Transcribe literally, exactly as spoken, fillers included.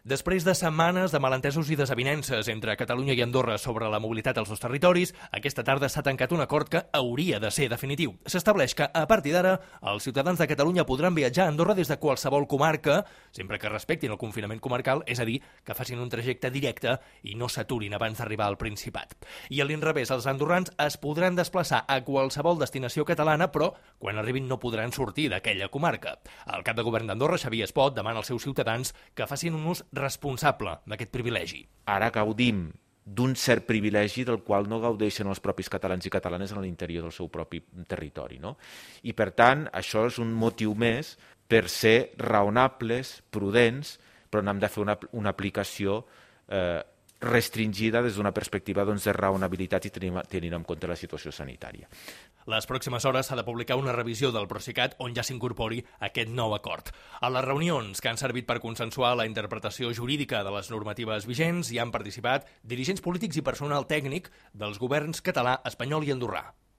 Després de setmanes de malentesos i desavinences entre Catalunya i Andorra sobre la mobilitat als dos territoris, aquesta tarda s'ha tancat un acord que hauria de ser definitiu. S'estableix que, a partir d'ara, els ciutadans de Catalunya podran viatjar a Andorra des de qualsevol comarca, sempre que respectin el confinament comarcal, és a dir, que facin un trajecte directe i no s'aturin abans d'arribar al Principat. I a l'inrevés, els andorrans es podran desplaçar a qualsevol destinació catalana, però quan arribin no podran sortir d'aquella comarca. El cap de govern d'Andorra, Xavier Espot, demana als seus ciutadans que facin un ús responsable d'aquest privilegi. Ara gaudim d'un cert privilegi del qual no gaudeixen els propis catalans i catalanes a l'interior del seu propi territori, no? I, per tant, això és un motiu més per ser raonables, prudents, però n'hem de fer una, una aplicació eh, restringida des d'una perspectiva doncs, de raonabilitat i tenint, tenint en compte la situació sanitària. Les pròximes hores s'ha de publicar una revisió del Procicat on ja s'incorpori aquest nou acord. A les reunions que han servit per consensuar la interpretació jurídica de les normatives vigents hi han participat dirigents polítics i personal tècnic dels governs català, espanyol i andorrà.